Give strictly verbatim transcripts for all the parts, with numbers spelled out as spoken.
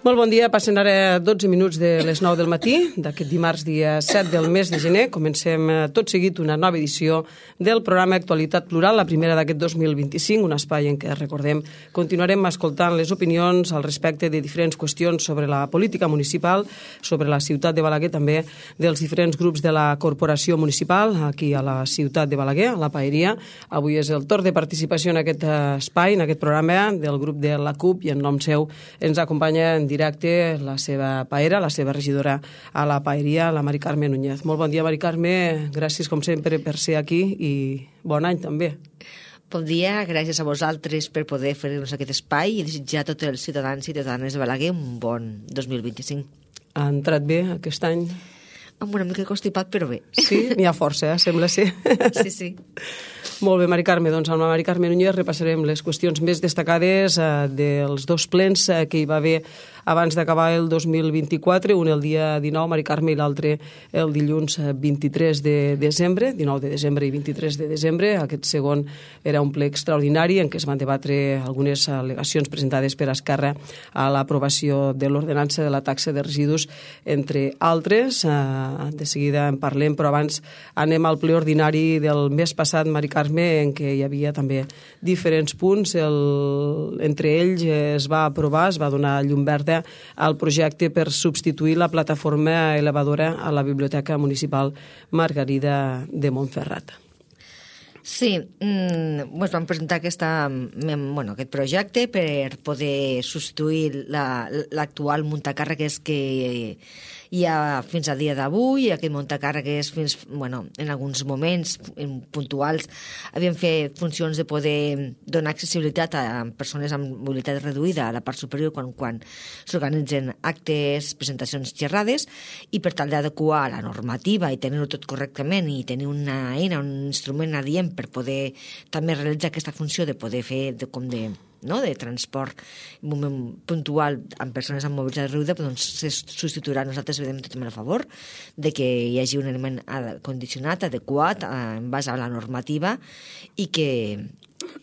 Molt bon dia, passen ara dotze minuts de les nou del matí, d'aquest dimarts dia set del mes de gener. Comencem tot seguit una nova edició del programa Actualitat Plural, la primera d'aquest dos mil vint-i-cinc, un espai en què, recordem, continuarem escoltant les opinions al respecte de diferents qüestions sobre la política municipal, sobre la ciutat de Balaguer, també dels diferents grups de la corporació municipal, aquí a la ciutat de Balaguer, a la Paeria. Avui és el torn de participació en aquest espai, en aquest programa del grup de la CUP, i en nom seu ens acompanya en directe la seva paera, la seva regidora a la Paeria, la Mari Carme Núñez. Molt bon dia, Mari Carme. Gràcies, com sempre, per ser aquí i bon any, també. Bon dia, gràcies a vosaltres per poder fer-nos aquest espai i desitjar a tots els ciutadans i ciutadanes de Balaguer un bon dos mil vint-i-cinc. Ha entrat bé aquest any? Amb una mica constipat, però bé. Sí? N'hi ha força, eh? Sembla ser. Sí, sí. Molt bé, Mari Carme. Doncs amb la Mari Carme Núñez repassarem les qüestions més destacades eh, dels dos plens eh, que hi va haver abans d'acabar el dos mil vint-i-quatre, un el dia dinou, Mari Carme, i l'altre el dilluns vint-i-tres de desembre, dinou de desembre i vint-i-tres de desembre. Aquest segon era un ple extraordinari en què es van debatre algunes al·legacions presentades per Esquerra a l'aprovació de l'ordenança de la taxa de residus, entre altres. Eh, de seguida en parlem, però abans anem al ple ordinari del mes passat, Mari Carme, en què hi havia també diferents punts. El, entre ells es va aprovar, es va donar llum verda al projecte per substituir la plataforma elevadora a la Biblioteca Municipal Margarida de Montferrat. Sí, mm, ens vam presentar aquesta, bueno, aquest projecte per poder substituir la, l'actual muntacàrregues que hi ha fins al dia d'avui. Aquest muntacàrregues, fins, bueno, en alguns moments puntuals, havien fet funcions de poder donar accessibilitat a persones amb mobilitat reduïda a la part superior quan, quan s'organitzen actes, presentacions, xerrades, i per tal d'adequar la normativa i tenir-ho tot correctament i tenir una eina, un instrument adient per poder també realitzar aquesta funció de poder fer de, com de, no? de transport en un moment puntual amb persones amb mobilitat reduïda, doncs se substituirà. Nosaltres vedem totalment a favor de que hi hagi un element condicionat, adequat, en base a la normativa, i que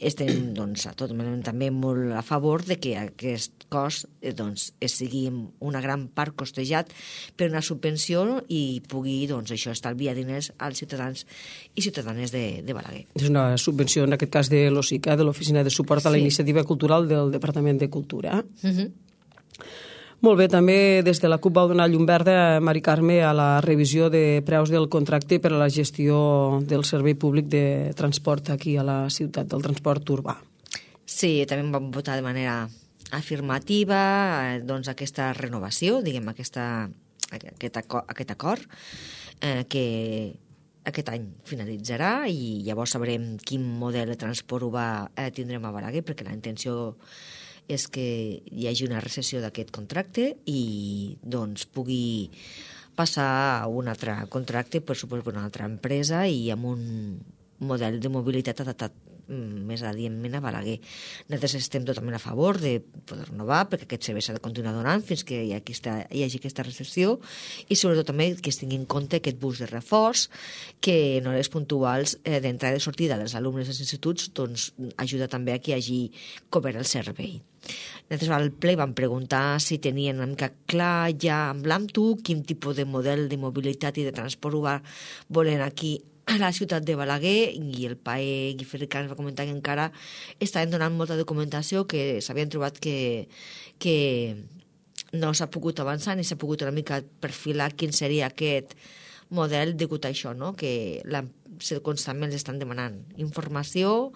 estem doncs, totalment també molt a favor de que aquest cost eh, doncs, sigui una gran part costejat per una subvenció i pugui doncs, això estalviar diners als ciutadans i ciutadanes de, de Balaguer. És una subvenció, en aquest cas, de l'OSICA, de l'Oficina de Suport a la sí. Iniciativa Cultural del Departament de Cultura. Uh-huh. Molt bé, també des de la CUP vau donar llum verda, Mari Carme, a la revisió de preus del contracte per a la gestió del servei públic de transport aquí a la ciutat, del transport urbà. Sí, també vam votar de manera afirmativa eh, doncs aquesta renovació, diguem, aquesta, aquest, acord, aquest acord eh, que aquest any finalitzarà i llavors sabrem quin model de transport urbà eh, tindrem a Balaguer, perquè la intenció és que hi hagi una recessió d'aquest contracte i doncs pugui passar a un altre contracte, per suposo, per una altra empresa i amb un model de mobilitat adaptat més adientment a Balaguer. Nosaltres estem totalment a favor de poder renovar, perquè aquest servei s'ha de continuar donant fins que hi, aquesta, hi hagi aquesta recessió, i sobretot també que es tingui en compte aquest bus de reforç que en hores puntuals eh, d'entrada i sortida dels alumnes dels instituts doncs, ajuda també a que hi hagi cobert el servei. Nosaltres al ple vam preguntar si tenien una mica clar ja en blanc quin tipus de model de mobilitat i de transport urbà volen aquí a la ciutat de Balaguer, i el P A E Guiferricà ens va comentar que encara estaven donant molta documentació, que s'havien trobat que, que no s'ha pogut avançar ni s'ha pogut una mica perfilar quin seria aquest model degut a això, no? Que la, constantment estan demanant informació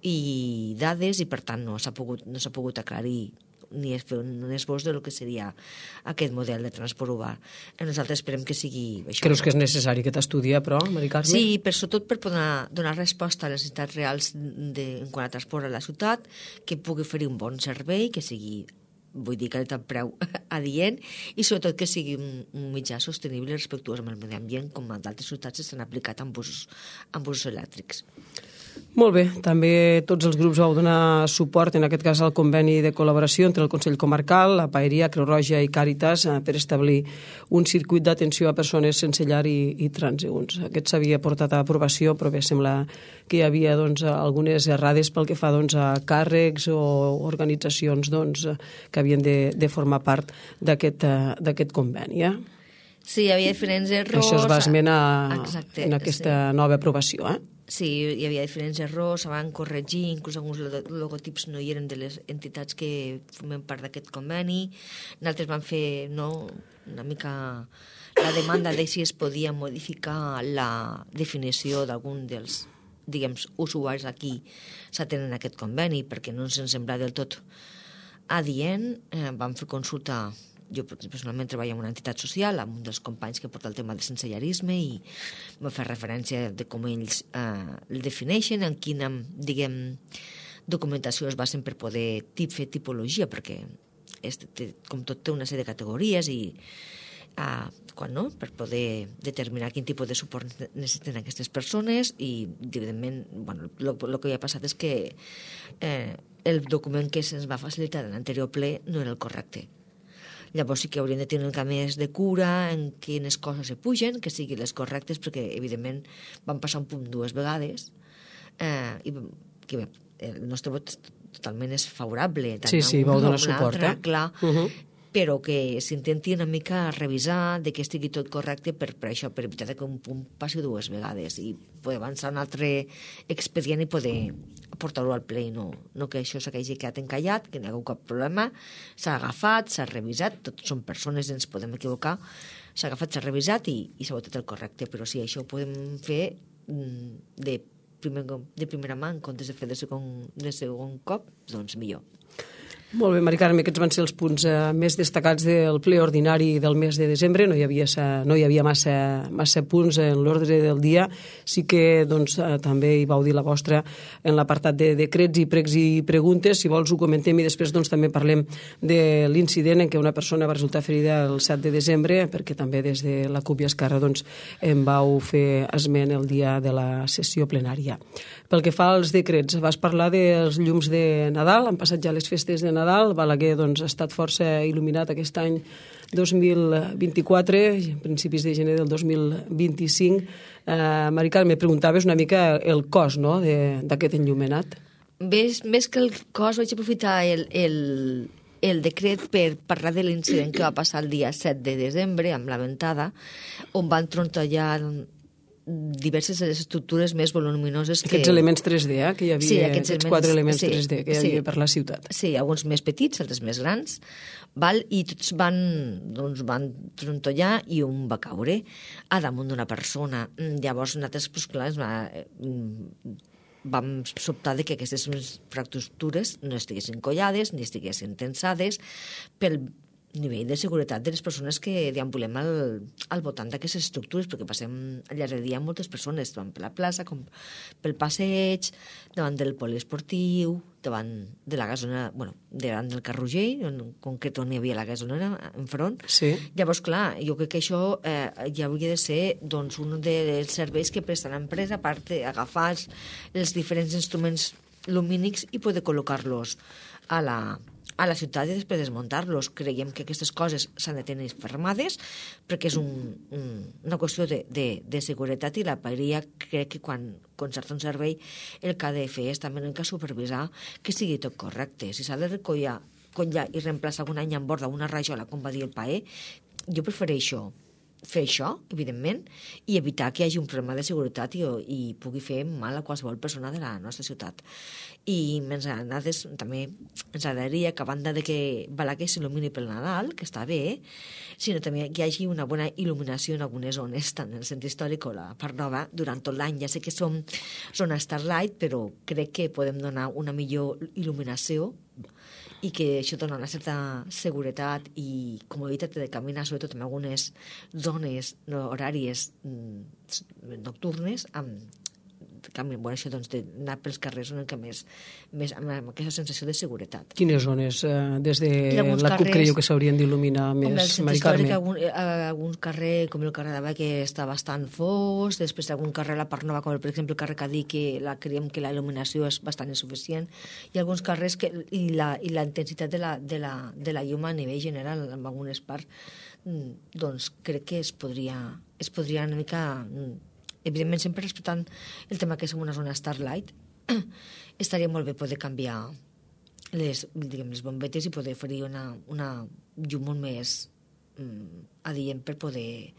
i dades i per tant no s'ha pogut, no s'ha pogut aclarir ni fer un esbós de lo que seria aquest model de transport urbà. Nosaltres esperem que sigui això. Creus que és necessari aquest estudi, però, Mari Carme? Sí, però sobretot per poder donar resposta a les necessitats reals de, en quant a transport a la ciutat, que pugui oferir un bon servei, que sigui, vull dir, que el preu adient, i sobretot que sigui un, un mitjà sostenible i respectuós amb el medi ambient, com d'altres ciutats s'han aplicat amb busos, amb busos elèctrics. Molt bé, també tots els grups vau donar suport, en aquest cas al conveni de col·laboració entre el Consell Comarcal, la Paeria, Creu Roja i Càritas per establir un circuit d'atenció a persones sense llar i, i transeünts. Aquest s'havia portat a aprovació, però bé, sembla que hi havia doncs, algunes errades pel que fa doncs, a càrrecs o organitzacions doncs, que havien de, de formar part d'aquest conveni. Eh? Sí, hi havia diferents errors. Això es va esmenar Exacte, en aquesta sí. nova aprovació, eh? Sí, hi havia diferents errors, se van corregir, inclús alguns logotips no hi eren de les entitats que formen part d'aquest conveni. Nosaltres vam fer no, una mica la demanda de si es podia modificar la definició d'algun dels diguem, usuaris aquí s'atenen a aquest conveni, perquè no ens en sembla del tot adient. Eh, vam fer consulta. Jo personalment treballo en una entitat social amb un dels companys que porta el tema del sensellarisme i va fer referència de com ells eh, el defineixen, en quina, diguem, documentació es basen per poder tip, fer tipologia, perquè és, té, com tot té una sèrie de categories i eh, quan no, per poder determinar quin tipus de suport necessiten aquestes persones i, evidentment, bueno, el que ja ha passat és que eh, el document que se'ns va facilitar en l'anterior ple no era el correcte. Llavors sí que hauríem de tenir una mica més de cura en quines coses se pugen, que siguin les correctes, perquè, evidentment, van passar un punt dues vegades eh, i que bé, el nostre vot totalment és favorable. Sí, sí, vau donar suport, altra, eh? Clar, uh-huh. però que s'intenti una mica revisar de que estigui tot correcte per, per això, per evitar que un punt passi dues vegades i poder avançar un altre expedient i poder portar-lo al ple i no, no que això s'hagi quedat encallat, que no hi ha cap problema, s'ha agafat, s'ha revisat, tots són persones, ens podem equivocar, s'ha agafat, s'ha revisat i, i s'ha votat el correcte, però si això ho podem fer de, primer, de primera mà en comptes de fer de segon, de segon cop, doncs millor. Molt bé, Mari Carme, aquests van ser els punts eh, més destacats del ple ordinari del mes de desembre. No hi havia, sa, no hi havia massa, massa punts en l'ordre del dia. Sí que doncs, eh, també hi vau dir la vostra en l'apartat de decrets i pregs i preguntes. Si vols ho comentem i després doncs, també parlem de l'incident en què una persona va resultar ferida el set de desembre, perquè també des de la CUP i Esquerra doncs, en vau fer esment el dia de la sessió plenària. Pel que fa als decrets, vas parlar dels llums de Nadal, han passat ja les festes de Nadal, Balaguer doncs, ha estat força il·luminat aquest any dos mil vint-i-quatre, a principis de gener del dos mil vint-i-cinc. Eh, Mari Carme, preguntaves una mica el cost no, d'aquest enllumenat. Més, més que el cost, vaig aprofitar el, el, el decret per parlar de l'incident que va passar el dia set de desembre amb la ventada, on van trontollar diverses estructures més voluminoses que... Aquests elements tres D, eh? Que hi havia, sí, aquests, aquests quatre elements sí, tres D que hi havia sí, per la ciutat. Sí, alguns més petits, altres més grans, val? I tots van, doncs, van trontollar i un va caure a damunt d'una persona. Llavors, nosaltres, doncs, clar, vam sobtar de que aquestes fractures no estiguessin collades ni estiguessin tensades pel nivell de seguretat de les persones que deambulem al, al voltant d'aquestes estructures, perquè passem al llarg del dia moltes persones, davant per la plaça, com pel passeig, davant del poliesportiu, davant de la gasolinera, bueno, davant del Carrugell, en concret on hi havia la gasolinera enfront. Sí. Llavors, clar, jo crec que això eh, ja hauria de ser doncs, un dels serveis que presta l'empresa, a part d'agafar els, els diferents instruments lumínics i poder col·locar-los a la a la ciutat i després desmuntar-los. Creiem que aquestes coses s'han de tenir fermades perquè és un, un, una qüestió de, de, de seguretat i la Paeria crec que quan concerta un servei el que ha de fer és també el que supervisar que sigui tot correcte. Si s'ha de recollir collar i reemplaçar algun any en borda una rajola, com va dir el Pae, jo prefereixo fer això, evidentment, i evitar que hi hagi un problema de seguretat i, i pugui fer mal a qualsevol persona de la nostra ciutat. I ens, nosaltres, també ens agradaria que a banda de que Balaguer s'il·lumini pel Nadal, que està bé, sinó també que hi hagi una bona il·luminació en algunes zones, tant en el centre històric o la part nova, durant tot l'any. Ja sé que som zona Starlight, però crec que podem donar una millor il·luminació i que això dona una certa seguretat i comoditat de caminar, sobretot en algunes zones no, horàries nocturnes amb canvi. Bueno, això doncs, d'anar pels carrers una mica més, més amb aquesta sensació de seguretat. Quines zones eh, des de la carrers, CUP creieu que s'haurien d'il·luminar més, Mari Carme? Algun, algun carrer, com el carrer de Baix, que està bastant fos, després algun carrer a la Part Nova, com el, per exemple el carrer Cadí, que la, creiem que la il·luminació és bastant insuficient, i alguns carrers que, i, la, i la intensitat de la, de, la, de la llum a nivell general en algunes parts, doncs crec que es podria, es podria una mica, evidentment sempre respectant el tema que és una zona Starlight, estaria molt bé poder canviar les, diguem, les bombetes i poder oferir una, una llum molt més mm, adient per poder,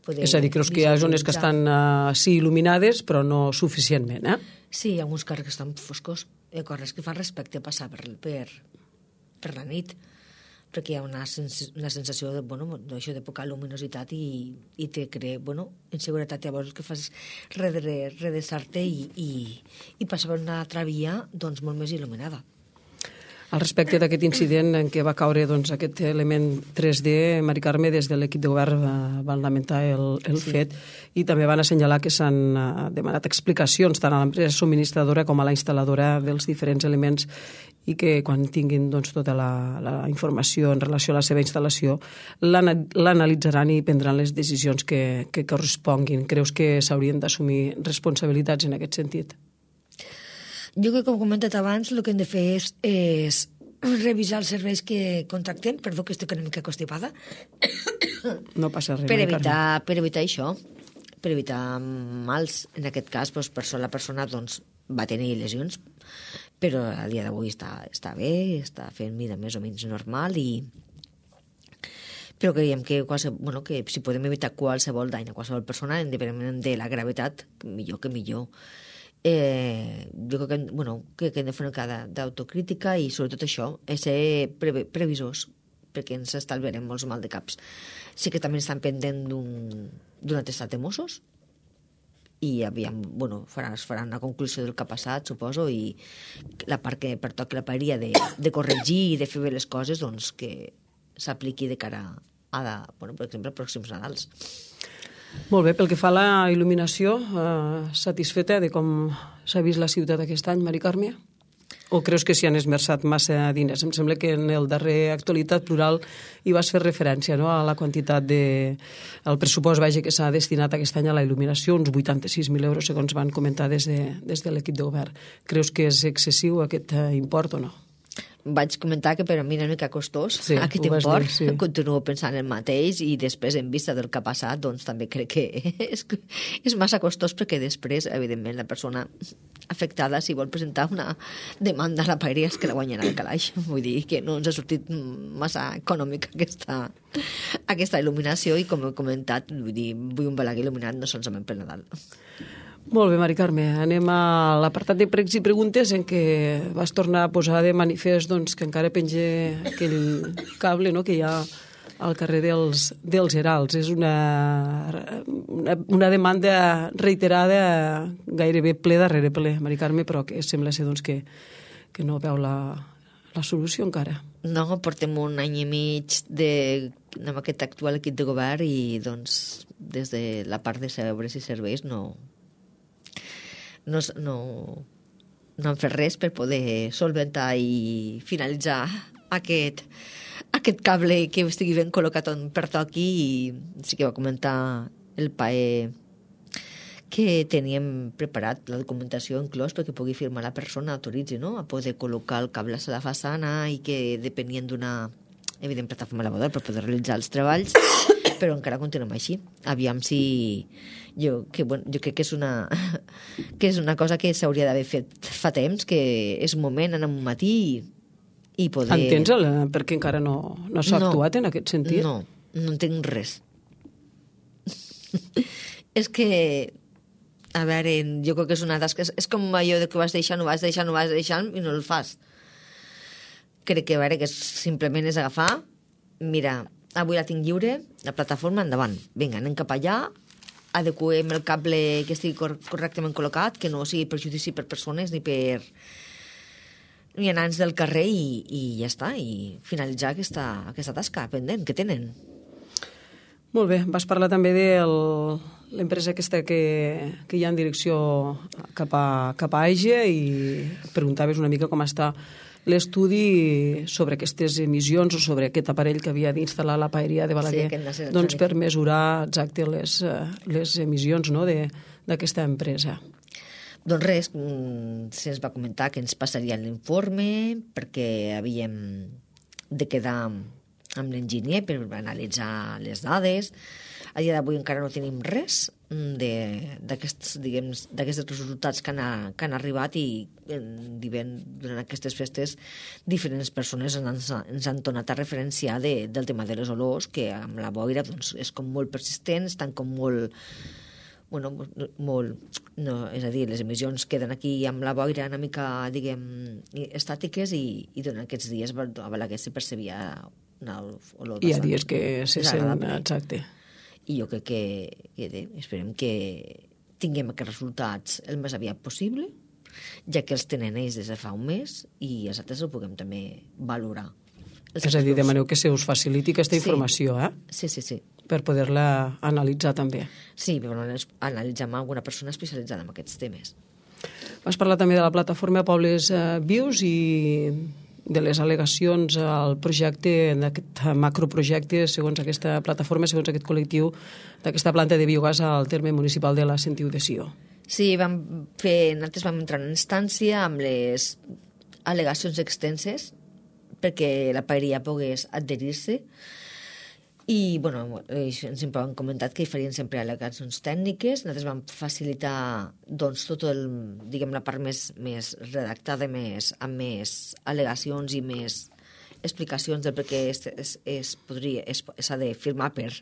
poder... És a dir, creus que hi ha zones que estan uh, sí il·luminades, però no suficientment, eh? Sí, hi ha alguns carrers que estan foscos, hi ha carrers que fan respecte a passar per, per, per la nit, perquè hi ha una, sens una sensació de, bueno, d'això de poca luminositat i, i te crea, bueno, inseguretat. Llavors el que fas és redreçar-te i, i, i passar per una altra via doncs, molt més il·luminada. Al respecte d'aquest incident en què va caure doncs, aquest element tres D, Mari Carme, des de l'equip de govern va, van lamentar el, el sí. fet i també van assenyalar que s'han demanat explicacions tant a l'empresa subministradora com a la instal·ladora dels diferents elements i que quan tinguin doncs, tota la, la informació en relació a la seva instal·lació l'analitzaran i prendran les decisions que, que corresponguin. Creus que s'haurien d'assumir responsabilitats en aquest sentit? Jo crec que, com he comentat abans, el que hem de fer és, és revisar els serveis que contractem, perdó que estic una mica constipada, no passa res, per evitar, per evitar això, per evitar mals. En aquest cas, doncs, per la persona doncs, va tenir lesions, però a dia d'avui està, està bé, està fent vida més o menys normal i però creiem que, qualsevol, bueno, que si podem evitar qualsevol dany a qualsevol persona, independentment de la gravetat, millor que millor. Eh, jo crec que, bueno, que, que hem de fer una mica d'autocrítica i sobretot això, és ser pre previsors, perquè ens estalviarem molts mal de caps. Sí que també estan pendent d'un atestat de Mossos i aviam, bueno, faran, faran una conclusió del que ha passat, suposo, i la part que pertoqui la paeria de, de corregir i de fer bé les coses, doncs que s'apliqui de cara a, la, bueno, per exemple, als pròxims Nadals. Molt bé, pel que fa a la il·luminació, eh, satisfeta de com s'ha vist la ciutat aquest any, Mari Carme? O creus que s'hi han esmerçat massa diners? Em sembla que en el darrer Actualitat Plural hi vas fer referència, no?, a la quantitat de... el pressupost, vaja, que s'ha destinat aquest any a la il·luminació, uns vuitanta-sis mil euros, segons van comentar des de, des de l'equip de govern. Creus que és excessiu aquest import o no? Vaig comentar que per a mi era una mica costós sí, aquest import, dir, sí. Continuo pensant el mateix i després en vista del que ha passat doncs també crec que és, és massa costós perquè després evidentment la persona afectada si vol presentar una demanda a la paeria és que la guanyarà el calaix, vull dir que no ens ha sortit massa econòmica aquesta, aquesta il·luminació i com he comentat, vull dir, vull un Balaguer il·luminat no solament per Nadal. Molt bé, Mari Carme. Anem a l'apartat de pregs i preguntes en què vas tornar a posar de manifest doncs, que encara penja aquell cable, no?, que hi ha al carrer dels, dels Herals. És una, una, una demanda reiterada, gairebé ple darrere ple, Mari Carme, però que sembla ser doncs, que, que no veu la, la solució encara. No, portem un any i mig de, amb aquest actual equip de govern i doncs des de la part de serveis i serveis no... No, no, no han fet res per poder solventar i finalitzar aquest, aquest cable que estigui ben col·locat on pertoqui i sí que va comentar el P A E que teníem preparat la documentació inclòs perquè pugui firmar la persona, autoritzi, no?, a poder col·locar el cable a la façana i que depenien d'una evident plataforma laboral per poder realitzar els treballs, però encara continuem així. Aviam si... Jo, que, bueno, jo crec que és una que és una cosa que s'hauria d'haver fet fa temps, que és un moment en un matí i, i poder... Entens el, per què encara no, no s'ha no, actuat en aquest sentit? No, no entenc res. És que, a veure, jo crec que és una tasca... És, és com allò de que vas deixant, no vas deixant, no vas deixant i no el fas. Crec que, a veure, que simplement és agafar, mira, avui la tinc lliure, la plataforma, endavant. Vinga, anem cap allà, adequem el cable que estigui cor correctament col·locat, que no sigui perjudici per persones ni per vianants del carrer i, i ja està, i finalitzar aquesta, aquesta tasca pendent que tenen. Molt bé, vas parlar també del, l'empresa aquesta que, que hi ha en direcció cap a, cap a Aige, i preguntaves una mica com està l'estudi sobre aquestes emissions o sobre aquest aparell que havia d'instal·lar la paeria de Balaguer, sí, doncs per mesurar exacte les, les emissions, no?, d'aquesta empresa. Doncs res, se'ns va comentar que ens passaria l'informe perquè havíem de quedar amb l'enginyer per analitzar les dades. A dia d'avui encara no tenim res d'aquests resultats que han, que han arribat, i durant aquestes festes diferents persones ens, ens han tornat a referenciar de, del tema de les olors, que amb la boira doncs, és com molt persistent, estan com molt... Bueno, molt, no, és a dir, les emissions queden aquí amb la boira una mica, diguem, estàtiques, i, i durant aquests dies a Balaguer se percebia una olor. Hi ha dies que se sent, exacte. I jo crec que, que esperem que tinguem aquests resultats el més aviat possible, ja que els tenen ells des de fa un mes, i els altres ho puguem també valorar. És a dir, demaneu que se us faciliti aquesta informació, eh? Sí, sí, sí. Per poder-la analitzar també. Sí, per analitzar amb alguna persona especialitzada en aquests temes. Vas parlar també de la plataforma Pobles Vius i de les al·legacions al projecte, d'aquest macroprojecte, segons aquesta plataforma, segons aquest col·lectiu, d'aquesta planta de biogàs al terme municipal de la Sentiu de Sió. Sí, vam fer, nosaltres vam entrar en instància amb les al·legacions extenses perquè la paeria pogués adherir-se. I, bueno, sempre han comentat que hi farien sempre al·legacions tècniques. Nosaltres vam facilitar, doncs, tot el, diguem, la part més, més redactada, més, amb més al·legacions i més explicacions del perquè es, es, es podria, es, s'ha de firmar per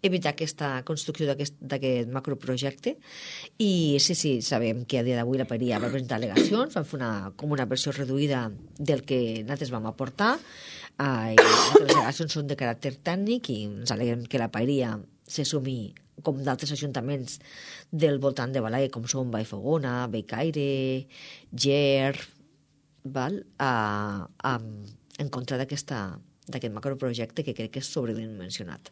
evitar aquesta construcció d'aquest macroprojecte. I sí, sí, sabem que a dia d'avui la paeria va presentar al·legacions, vam fer una, com una versió reduïda del que nosaltres vam aportar. Uh, i les al·legacions són de caràcter tècnic i ens alegrem que la paeria se sumi, com d'altres ajuntaments del voltant de Balaguer, com són Vallfogona, Bellcaire, Ger, val? Uh, um, en contra d'aquest macroprojecte que crec que és sobredimensionat.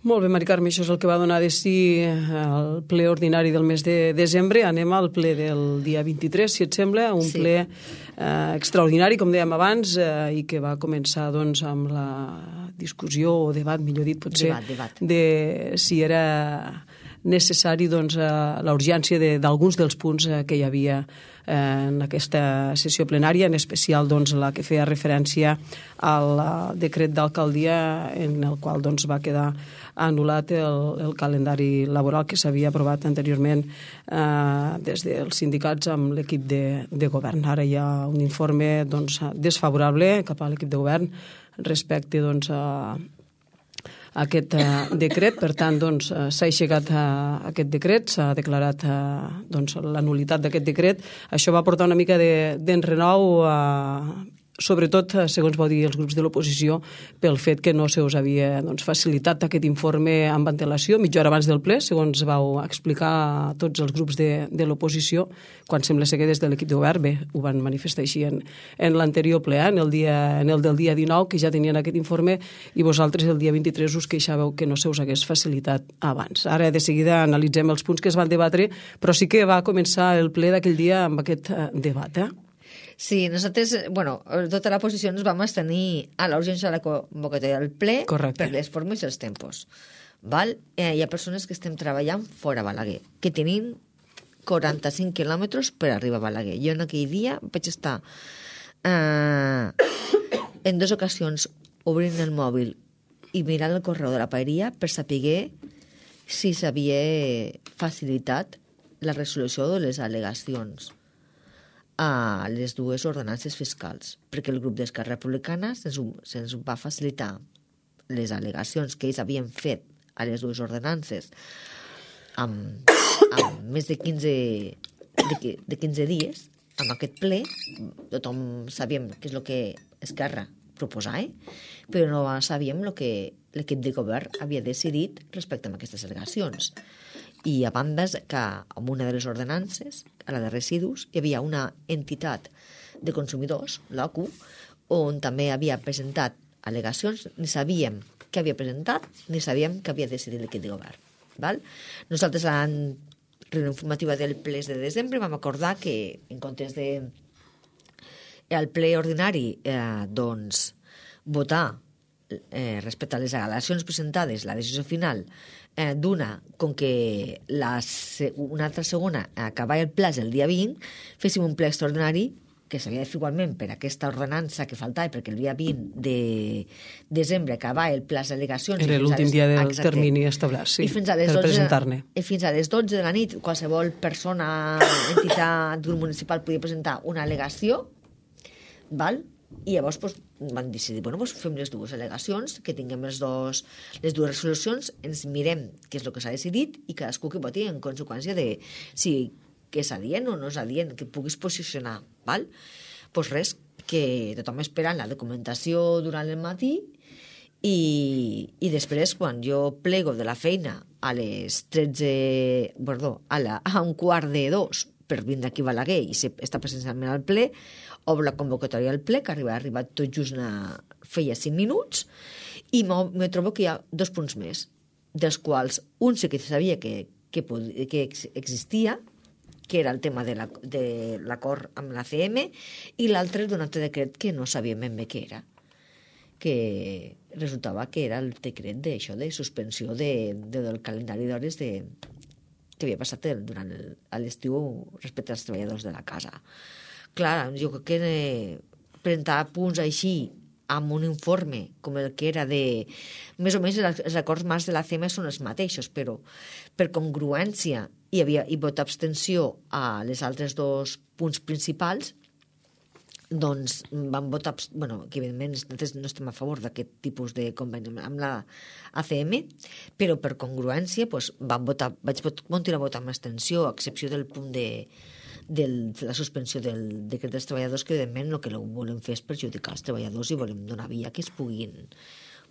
Molt bé, Mari Carme, això és el que va donar de si el ple ordinari del mes de desembre. Anem al ple del dia vint-i-tres, si et sembla, un sí. ple eh, extraordinari, com dèiem abans, eh, i que va començar doncs, amb la discussió o debat, millor dit, potser, debat, debat. de si era necessari doncs, eh, la urgència d'alguns de, dels punts eh, que hi havia eh, en aquesta sessió plenària, en especial doncs, la que feia referència al decret d'alcaldia en el qual doncs, va quedar anul·lat el, el calendari laboral que s'havia aprovat anteriorment eh, des dels sindicats amb l'equip de, de govern. Ara hi ha un informe doncs, desfavorable cap a l'equip de govern respecte doncs, a aquest uh, decret. Per tant, doncs, uh, s'ha aixecat uh, aquest decret, s'ha declarat uh, doncs, la nul·litat d'aquest decret. Això va portar una mica d'enrenou, uh, sobretot, segons vau dir els grups de l'oposició, pel fet que no se us havia doncs, facilitat aquest informe amb antelació, mitja hora abans del ple, segons vau explicar a tots els grups de, de l'oposició, quan sembla ser que des de l'equip de govern, bé, ho van manifestar així en, en l'anterior ple, en el, dia, en el del dia dinou, que ja tenien aquest informe, i vosaltres el dia vint-i-tres us queixàveu que no se us hagués facilitat abans. Ara, de seguida, analitzem els punts que es van debatre, però sí que va començar el ple d'aquell dia amb aquest eh, debat, eh? Sí, nosaltres, bueno, tota la posició ens vam abstenir a la urgència de la convocatòria del ple. Correcte. Per les formes i els tempos. Val? Eh, hi ha persones que estem treballant fora a Balaguer, que tenim quaranta-cinc quilòmetres per arribar a Balaguer. Jo en aquell dia vaig estar eh, en dues ocasions obrint el mòbil i mirant el correu de la paeria per saber si s'havia facilitat la resolució de les al·legacions a les dues ordenances fiscals, perquè el grup d'Esquerra Republicana se'ns se va facilitar les al·legacions que ells havien fet a les dues ordenances amb, amb més de quinze, de, de quinze dies, amb aquest ple. Tothom sabíem què és el que Esquerra proposava, eh? Però no sabíem el que l'equip de govern havia decidit respecte a aquestes al·legacions. I a banda que en una de les ordenances, a la de residus, hi havia una entitat de consumidors, l'O C U, on també havia presentat al·legacions. Ni sabíem què havia presentat, ni sabíem què havia decidit l'equip de govern. Val? Nosaltres a la reunió informativa del ple de desembre vam acordar que en comptes de al ple ordinari eh, doncs votar eh, respecte a les al·legacions presentades, la decisió final eh, d'una, com que la, una altra segona acabava el plaç el dia vint, féssim un ple extraordinari que s'havia de fer igualment per aquesta ordenança que faltava, perquè el dia vint de desembre acabava el plaç d'al·legacions. Era l'últim dia del exacte, termini establert, sí, fins a les per dotze, presentar-ne. I fins a les dotze de la nit qualsevol persona, entitat, grup municipal podia presentar una al·legació, val? I llavors doncs, van decidir, bueno, doncs fem les dues al·legacions, que tinguem els dos, les dues resolucions, ens mirem què és el que s'ha decidit i cadascú que voti en conseqüència de si que és adient o no és adient, que puguis posicionar, val? Doncs res, que tothom esperant la documentació durant el matí i, i després quan jo plego de la feina a les tretze, perdó, a, la, a un quart de dos per vindre aquí a Balaguer i estar presencialment al ple, obro la convocatòria al ple, que arriba, ha arribat tot just una, feia cinc minuts, i me trobo que hi ha dos punts més, dels quals un sí que sabia que, que, que existia, que era el tema de l'acord la, amb la C M, i l'altre d'un altre decret que no sabíem ben bé què era, que resultava que era el decret d'això, de suspensió de, de, del calendari d'hores de, que havia passat durant l'estiu respecte als treballadors de la casa. Clar, jo crec que eh, presentar punts així amb un informe com el que era de... Més o menys els acords marcs de la C M són els mateixos, però per congruència hi havia i vot abstenció a les altres dos punts principals, doncs van votar... Bueno, que evidentment nosaltres no estem a favor d'aquest tipus de conveni amb la A C M, però per congruència doncs, van votar, vaig continuar a votar amb abstenció, a excepció del punt de... de la suspensió del decret dels treballadors, que evidentment el que volem fer és perjudicar els treballadors i volem donar via que es puguin,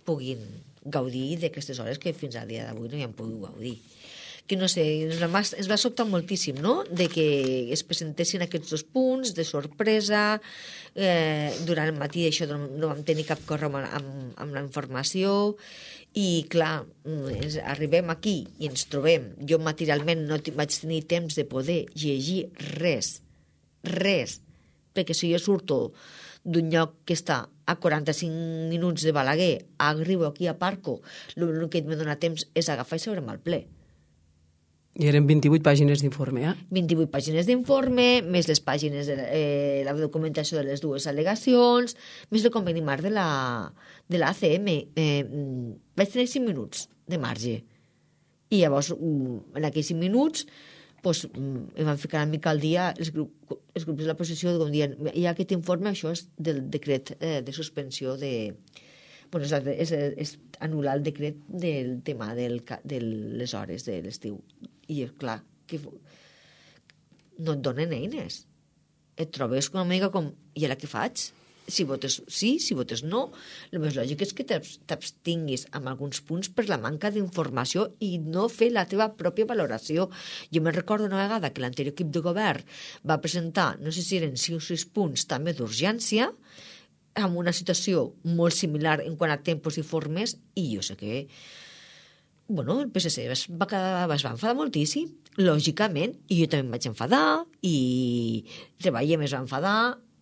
puguin gaudir d'aquestes hores que fins al dia d'avui no hi han pogut gaudir. Que no sé, ens va, ens va sobtar moltíssim, no?, de que es presentessin aquests dos punts de sorpresa, eh, durant el matí això no, no vam tenir cap correu amb, amb, amb la informació, i clar, ens arribem aquí i ens trobem, jo materialment no vaig tenir temps de poder llegir res, res, perquè si jo surto d'un lloc que està a quaranta-cinc minuts de Balaguer, arribo aquí a Parco, l'únic que em dona temps és agafar i seure'm al ple. I eren vint-i-vuit pàgines d'informe, eh? vint-i-vuit pàgines d'informe, més les pàgines de eh, la documentació de les dues al·legacions, més el conveni marc de la, de la A C M. Eh, vaig tenir cinc minuts de marge. I llavors, en aquells cinc minuts, pues, em van ficar una mica al dia els, grup, els grups de l'oposició, com dient, hi ha aquest informe, això és del decret eh, de suspensió de... Bueno, és, és, és anul·lar el decret del tema del, de les hores de l'estiu. I és clar, que no et donen eines. Et trobes una mica com, i ara què faig? Si votes sí, si votes no. El més lògic és que t'abstinguis amb alguns punts per la manca d'informació i no fer la teva pròpia valoració. Jo me'n recordo una vegada que l'anterior equip de govern va presentar, no sé si eren cinc o sis punts també d'urgència, amb una situació molt similar en quant a tempos i formes, i jo sé que bueno, el P S C es va, quedar, es va enfadar moltíssim, lògicament, i jo també em vaig enfadar, i Treballem es va enfadar,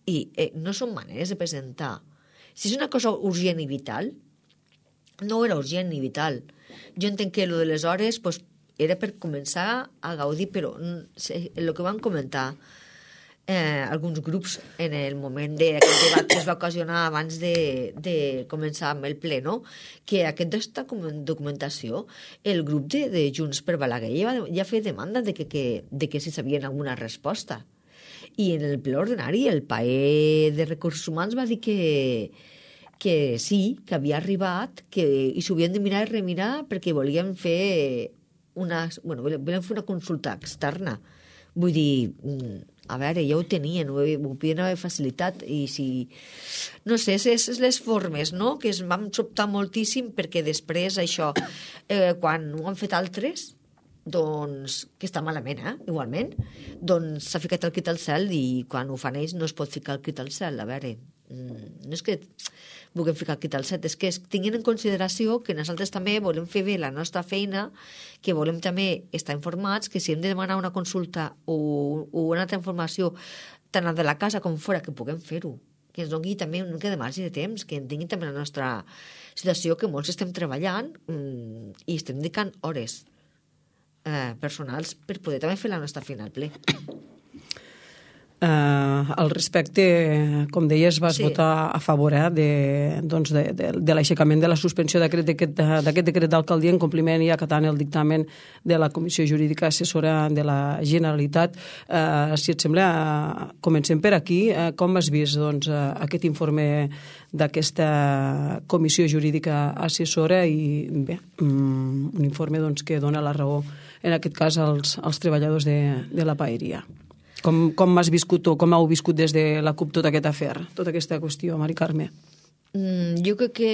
i eh, no són maneres de presentar. Si és una cosa urgent i vital, no era urgent ni vital. Jo entenc que el de les hores pues, era per començar a gaudir, però el que van comentar eh, alguns grups en el moment d'aquest debat que es va ocasionar abans de, de començar amb el ple, no? Que aquesta documentació, el grup de, de Junts per Balaguer ja, ja feia demanda de que, que, de que si sabien alguna resposta. I en el ple ordinari el P A E de Recursos Humans va dir que, que sí, que havia arribat, que, i s'ho havien de mirar i remirar perquè volien fer una, bueno, volien fer una consulta externa. Vull dir, a veure, ja ho tenien, ho, ho podien haver facilitat, i si... No sé, és les formes, no?, que es vam sobtar moltíssim, perquè després això, eh, quan ho han fet altres, doncs, que està malament, eh, igualment, doncs s'ha ficat el crit al cel, i quan ho fan ells no es pot ficar el crit al cel, a veure, no és que vulguem ficar aquí tal set, és que tinguin en consideració que nosaltres també volem fer bé la nostra feina, que volem també estar informats, que si hem de demanar una consulta o, o una altra informació tant de la casa com fora, que puguem fer-ho, que ens doni també una mica de marge de temps, que entenguin també la nostra situació, que molts estem treballant mmm, i estem dedicant hores eh, personals per poder també fer la nostra feina al ple. Uh, al respecte, com deies, vas sí. votar a favor eh, de, doncs de, de, de l'aixecament de la suspensió d'aquest decret d'alcaldia en compliment i acatant el dictamen de la Comissió Jurídica Assessora de la Generalitat. Uh, si et sembla, uh, comencem per aquí. Uh, com has vist doncs, uh, aquest informe d'aquesta Comissió Jurídica Assessora i bé, um, un informe doncs, que dona la raó, en aquest cas, als, als treballadors de, de la paeria? Com, com has viscut o com heu viscut des de la CUP tot aquest afer, tota aquesta qüestió, Mari Carme? Mm, jo crec que,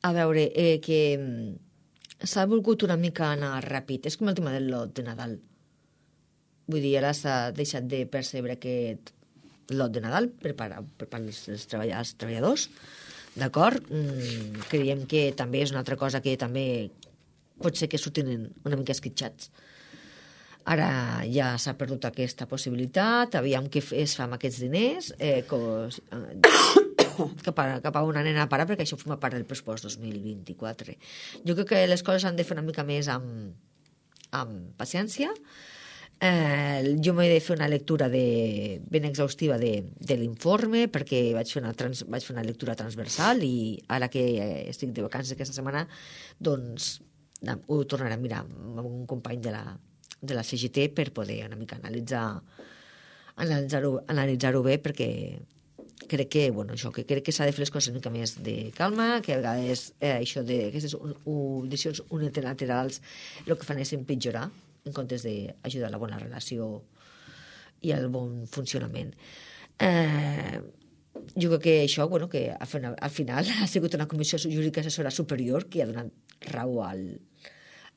a veure, eh, que s'ha volgut una mica anar ràpid. És com el tema del lot de Nadal. Vull dir, ara s'ha deixat de percebre aquest lot de Nadal per part dels treballadors, treballadors. D'acord? Mm, creiem que també és una altra cosa que també pot ser que surtin una mica esquitxats. Ara ja s'ha perdut aquesta possibilitat, aviam què es fa amb aquests diners, eh, cos, eh, cap, a, cap a una nena a parar, perquè això forma part del pressupost dos mil vint-i-quatre. Jo crec que les coses s'han de fer una mica més amb, amb paciència. Eh, jo m'he de fer una lectura de, ben exhaustiva de, de l'informe, perquè vaig fer, una trans, vaig fer una lectura transversal i ara que estic de vacances aquesta setmana, doncs ho tornaré a mirar amb un company de la de la C G T per poder una mica analitzar analitzar-ho analitzar-ho bé, perquè crec que, bueno, això, que crec que s'ha de fer les coses una mica més de calma, que a vegades eh, això de aquestes decisions unilaterals el que fan és empitjorar en comptes d'ajudar a la bona relació i al bon funcionament. Eh, jo crec que això, bueno, que al final, al final ha sigut una comissió jurídica assessora superior que ha donat raó al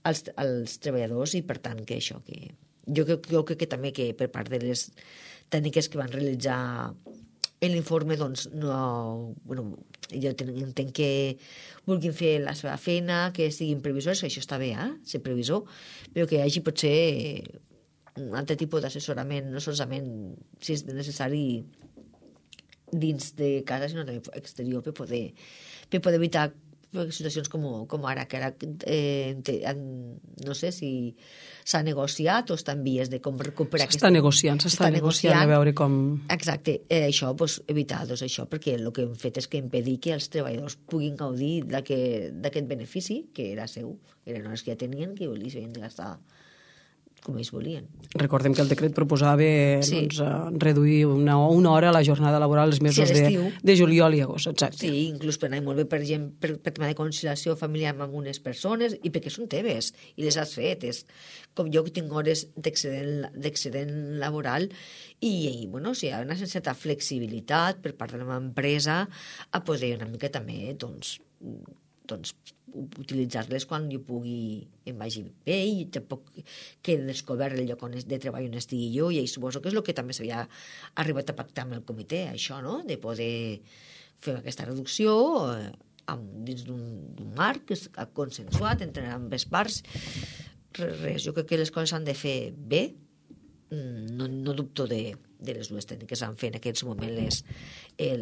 als, als treballadors i per tant que això que jo crec, jo crec que també que per part de les tècniques que van realitzar en l'informe doncs no, bueno, jo entenc que vulguin fer la seva feina, que siguin previsors, això està bé, eh? Ser previsor, però que hi hagi potser un altre tipus d'assessorament, no solament si és necessari dins de casa, sinó també exterior per poder, per poder evitar situacions com, com ara, que ara eh, no sé si s'ha negociat o està en vies de com recuperar... S'està negociant, s'està negociant, negociant a veure com... Exacte, eh, això, doncs, evitar doncs, això, perquè el que hem fet és que impedir que els treballadors puguin gaudir d'aquest benefici, que era seu, eren hores que ja tenien, que els havien de gastar com ells volien. Recordem que el decret proposava sí. doncs, reduir una, una hora a la jornada laboral els mesos sí, de, de juliol i agost, exacte. Sí, inclús per anar molt bé, per exemple, per, per tema de conciliació familiar amb unes persones, i perquè són teves, i les has fet. És com jo que tinc hores d'excedent laboral, i, i bueno, si hi ha una certa flexibilitat per part de la meva empresa a poder una mica també, doncs, doncs utilitzar-les quan jo pugui em vagi bé i tampoc quedi descobert el lloc on de treball on estigui jo, i suposo que és el que també s'havia arribat a pactar amb el comitè, això, no?, de poder fer aquesta reducció eh, amb, dins d'un marc que és consensuat entre ambes parts. Res, res, jo crec que les coses s'han de fer bé, no, no dubto de, de les dues tècniques han fet en aquests moments les, el...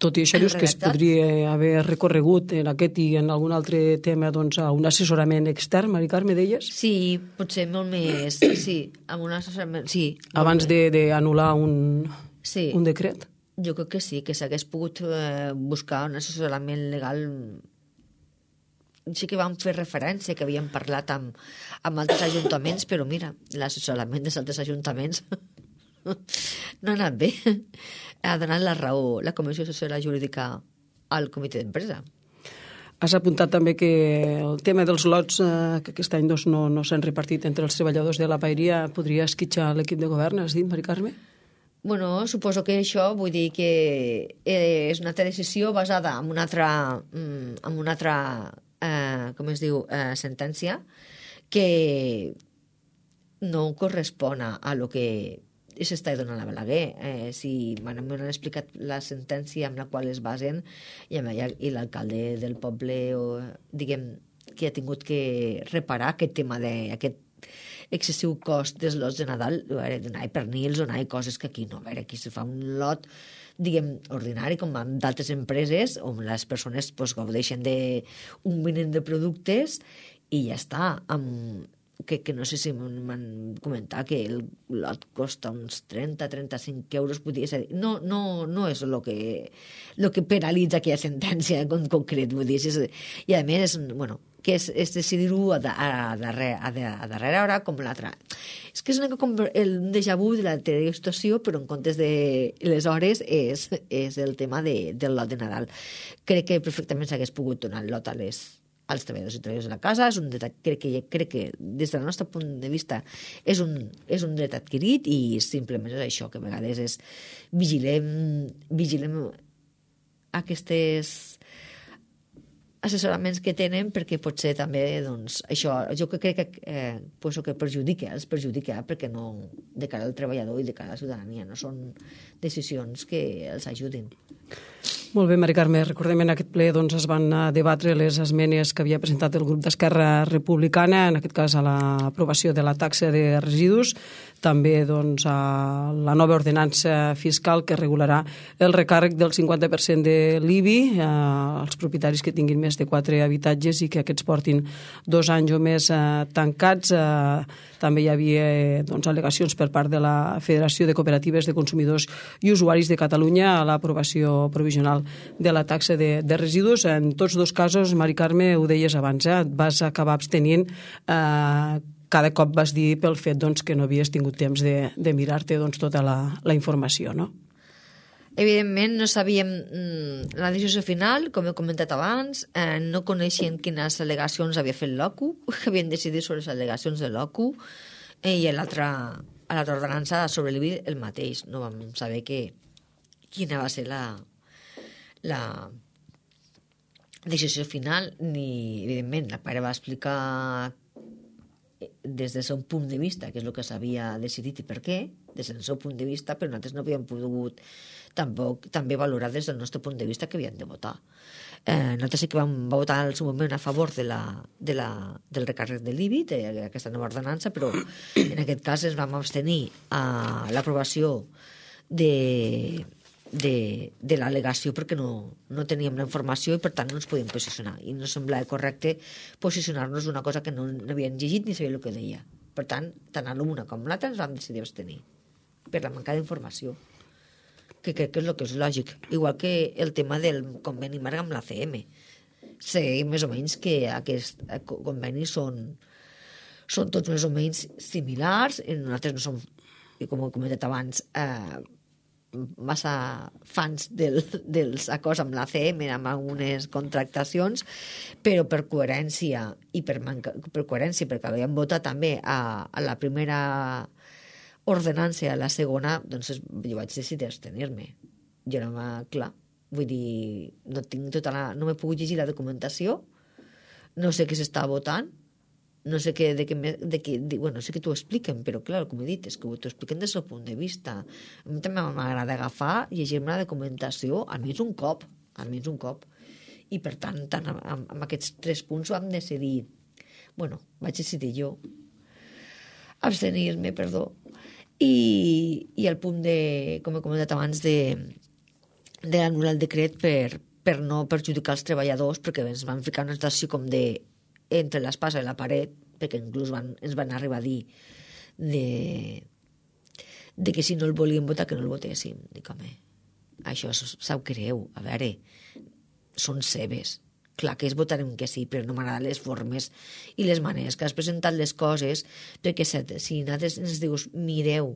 Tot i això dius que es podria haver recorregut en aquest i en algun altre tema doncs, a un assessorament extern, Mari Carme, deies? Sí, potser molt més, sí, amb un assessorament, sí. Abans d'anul·lar un, sí. un decret? Jo crec que sí, que s'hagués pogut eh, buscar un assessorament legal. Sí que vam fer referència, que havíem parlat amb, amb altres ajuntaments, però mira, l'assessorament dels altres ajuntaments no ha anat bé. Ha donat la raó la Comissió Assessora Jurídica al comitè d'empresa. Has apuntat també que el tema dels lots eh, que aquest any doncs, no, no s'han repartit entre els treballadors de la paeria podria esquitxar l'equip de govern, has dit, Mari Carme? Bueno, suposo que això vull dir que és una altra decisió basada en una altra, en una altra eh, com es diu, eh, sentència que no correspon a lo que s'està donant a Balaguer. Eh, si m'han explicat la sentència amb la qual es basen i, i l'alcalde del poble, o, diguem, que ha tingut que reparar aquest tema d'aquest excessiu cost dels lots de Nadal, donar pernils, donar coses que aquí no. A veure, aquí se fa un lot, diguem, ordinari, com en d'altres empreses, on les persones pues, gaudeixen d'un mínim de productes i ja està. Amb, que, que no sé si m'han comentat que el lot costa uns trenta a trenta-cinc euros, podria ser. No, no, no és el que, lo que penalitza aquella sentència en concret, vull dir. És, i a més, és, bueno, que és, és decidir-ho a, a, darrere, a, a darrere hora com l'altra. És que és una, com el déjà vu de l'anterior situació, però en comptes de les hores és, és el tema de, del lot de Nadal. Crec que perfectament s'hagués pogut donar el lot a les als treballadors i treballadors de la casa. És un dret, crec, que, crec que des del nostre punt de vista és un, és un dret adquirit i simplement és això, que a vegades és vigilem, vigilem aquestes assessoraments que tenen, perquè potser també, doncs, això, jo que crec que, eh, pues, que perjudica, els perjudica perquè no, de cara al treballador i de cara a la ciutadania, no són decisions que els ajudin. Molt bé, Mari Carme. Recordem, en aquest ple doncs, es van debatre les esmenes que havia presentat el grup d'Esquerra Republicana, en aquest cas a l'aprovació de la taxa de residus, també doncs, a la nova ordenança fiscal que regularà el recàrrec del cinquanta per cent de l'I B I eh, als propietaris que tinguin més de quatre habitatges i que aquests portin dos anys o més eh, tancats. Eh, també hi havia doncs, al·legacions per part de la Federació de Cooperatives de Consumidors i Usuaris de Catalunya a l'aprovació provisional de la taxa de, de residus. En tots dos casos, Mari Carme, ho deies abans, eh, vas acabar abstenint eh, cada cop vas dir pel fet doncs, que no havies tingut temps de, de mirar-te doncs, tota la, la informació, no? Evidentment no sabíem mm, la decisió final, com he comentat abans, eh, no coneixien quines al·legacions havia fet l'O C U, havien decidit sobre les al·legacions de l'O C U, eh, i a l'altra ordenança sobre l'I B I el mateix. No vam saber que, quina va ser la, la decisió final, ni, evidentment, la pare va explicar des del seu punt de vista, que és el que s'havia decidit i per què, des del seu punt de vista, però nosaltres no havíem pogut tampoc també valorar des del nostre punt de vista que havien de votar. Eh, nosaltres sí que vam votar al seu moment a favor de la, de la, del recàrrec de l'I B I, d'aquesta nova ordenança, però en aquest cas ens vam abstenir a l'aprovació de, de, de l'al·legació perquè no, no teníem la informació i per tant no ens podíem posicionar i no semblava correcte posicionar-nos una cosa que no, no havíem llegit ni sabia el que deia. Per tant, tant a l'una com a l'altra ens vam decidir abstenir per la manca d'informació, que crec que és el que és lògic, igual que el tema del conveni marc amb la C M. Seguim més o menys que aquests convenis són, són tots més o menys similars, i nosaltres no som, com he comentat abans, eh, massa fans del, dels acords amb la C M, amb algunes contractacions, però per coherència i per, manca, per coherència, perquè havíem votat també a, a la primera ordenança, a la segona, doncs jo vaig decidir abstenir-me. Jo no m'ha, clar, vull dir, no tinc tota la, no m'he pogut llegir la documentació, no sé què s'està votant, no sé què, de què, de què de, bueno, no sé què t'ho expliquen, però clar, com he dit, és que t'ho expliquen des del punt de vista. A mi també m'agrada agafar, llegir-me la documentació, almenys un cop, almenys un cop. I per tant, tant amb, amb aquests tres punts vam decidir, bueno, vaig decidir jo, abstenir-me, perdó, i, i el punt de, com he comentat abans, de, de anul·lar el decret per, per no perjudicar els treballadors, perquè ens van ficar una situació com de entre l'espasa i la paret, perquè inclús van, ens van arribar a dir de, de que si no el volíem votar, que no el votéssim. Dic, home, això sap greu, a veure, són seves. Clar que es votarem que sí, però no m'agraden les formes i les maneres que has presentat les coses, perquè si, si nosaltres ens dius, mireu,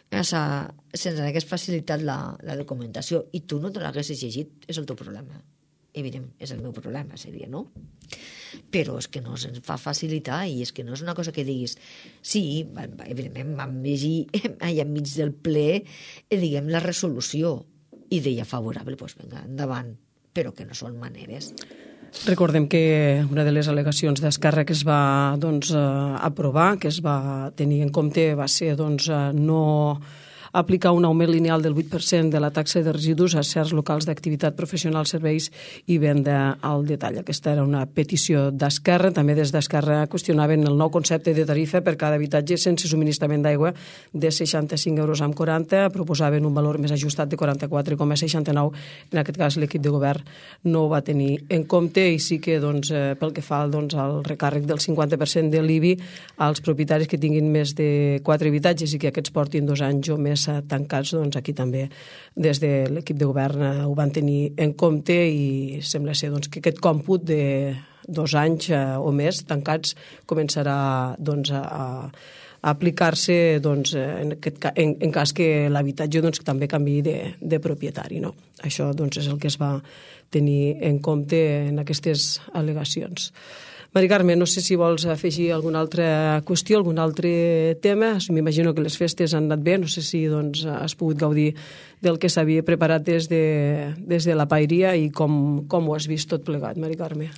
se'ns hagués facilitat la, la documentació i tu no te l'haguessis llegit, és el teu problema. Evident, és el meu problema, seria, no? Però és que no se'ns fa facilitar i és que no és una cosa que diguis sí, evidentment vam llegir allà enmig del ple, diguem, la resolució i deia favorable, doncs vinga, endavant, però que no són maneres. Recordem que una de les al·legacions d'Esquerra que es va doncs, aprovar, que es va tenir en compte, va ser doncs, no aplicar un augment lineal del vuit per cent de la taxa de residus a certs locals d'activitat professional, serveis i venda al detall. Aquesta era una petició d'Esquerra. També des d'Esquerra qüestionaven el nou concepte de tarifa per cada habitatge sense subministrament d'aigua de seixanta-cinc euros amb quaranta. Proposaven un valor més ajustat de quaranta-quatre coma seixanta-nou. En aquest cas l'equip de govern no ho va tenir en compte i sí que doncs, pel que fa doncs, al recàrrec del cinquanta per cent de l'I B I als propietaris que tinguin més de quatre habitatges i que aquests portin dos anys o més tancats, doncs aquí també des de l'equip de govern ho van tenir en compte i sembla ser doncs, que aquest còmput de dos anys o més tancats començarà doncs, a, a aplicar-se doncs, en, aquest, en, en cas que l'habitatge doncs, també canviï de, de propietari. No? Això doncs, és el que es va tenir en compte en aquestes al·legacions. Mari Carme, no sé si vols afegir alguna altra qüestió, algun altre tema. M'imagino que les festes han anat bé, no sé si doncs, has pogut gaudir del que s'havia preparat des de, des de la paeria i com, com ho has vist tot plegat, Mari Carme.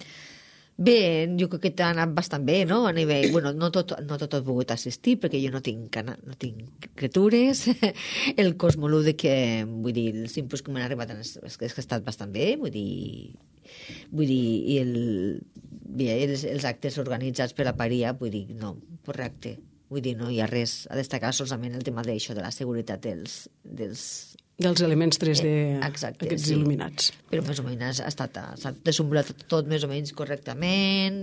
Bé, jo crec que ha anat bastant bé, no? A nivell, bueno, no tot, no tot he pogut assistir perquè jo no tinc, no tinc criatures. El cosmolude que, vull dir, els inputs que m'han arribat és, és que ha estat bastant bé, vull dir, vull dir, i el, bé, els, els actes organitzats per la paria, vull dir, no, correcte. Vull dir, no hi ha res a destacar, solament el tema d'això, de la seguretat dels, dels dels elements tres D, eh, exacte, aquests sí. Il·luminats. Però més o menys ha estat, ha estat desenvolupat tot més o menys correctament,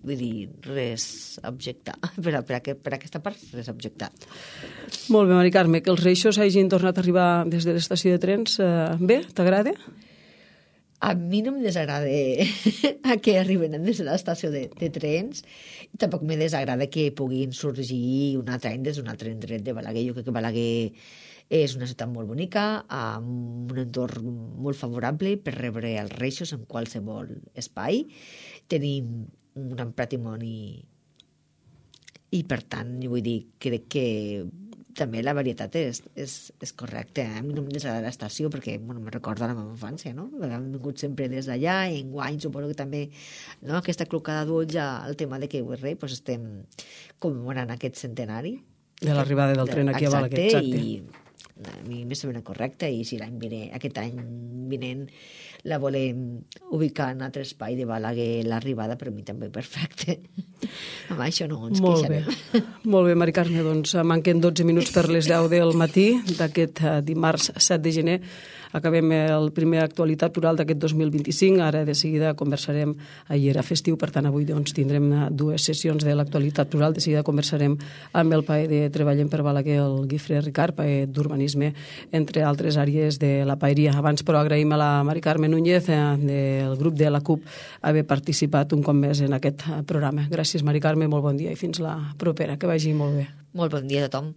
vull dir, res a objectar. Per, a, per, a, per a aquesta part, res a objectar. Molt bé, Mari Carme, que els reixos hagin tornat a arribar des de l'estació de trens, eh, bé, t'agrada? A mi no em desagrada a que arriben des de l'estació de, de trens i tampoc me desagrada que puguin sorgir un altre any des d'un altre indret de Balaguer. Jo crec que Balaguer és una ciutat molt bonica, amb un entorn molt favorable per rebre els reixos en qualsevol espai. Tenim un gran patrimoni i, per tant, vull dir, crec que també la varietat és, és, és correcta. A mi no em desagrada l'estació perquè bueno, me recorda la meva infància, no? Hem vingut sempre des d'allà i enguany suposo que també no? Aquesta clocada d'ulls al tema de que avui rei doncs estem commemorant aquest centenari. De l'arribada del tren aquí a Balaguer. Exacte, i a mi me sembla correcte i si l'any vinent, aquest any vinent la volem ubicar en altre espai de Balaguer, l'arribada per mi també perfecte. Amb això no ens Molt queixarem. Bé. Molt bé, Mari Carme, doncs manquen dotze minuts per les deu del matí d'aquest dimarts set de gener. Acabem el primer actualitat plural d'aquest dos mil vint-i-cinc. Ara de seguida conversarem, ahir era festiu, per tant avui doncs, tindrem dues sessions de l'actualitat plural. De seguida conversarem amb el paer de Treballem per Balaguer, el Guifré Ricard, paer d'urbanisme, entre altres àrees de la paeria. Abans, però, agraïm a la Mari Carme Núñez del grup de la CUP haver participat un cop més en aquest programa. Gràcies, Mari Carme, molt bon dia i fins la propera. Que vagi molt bé. Molt bon dia a tothom.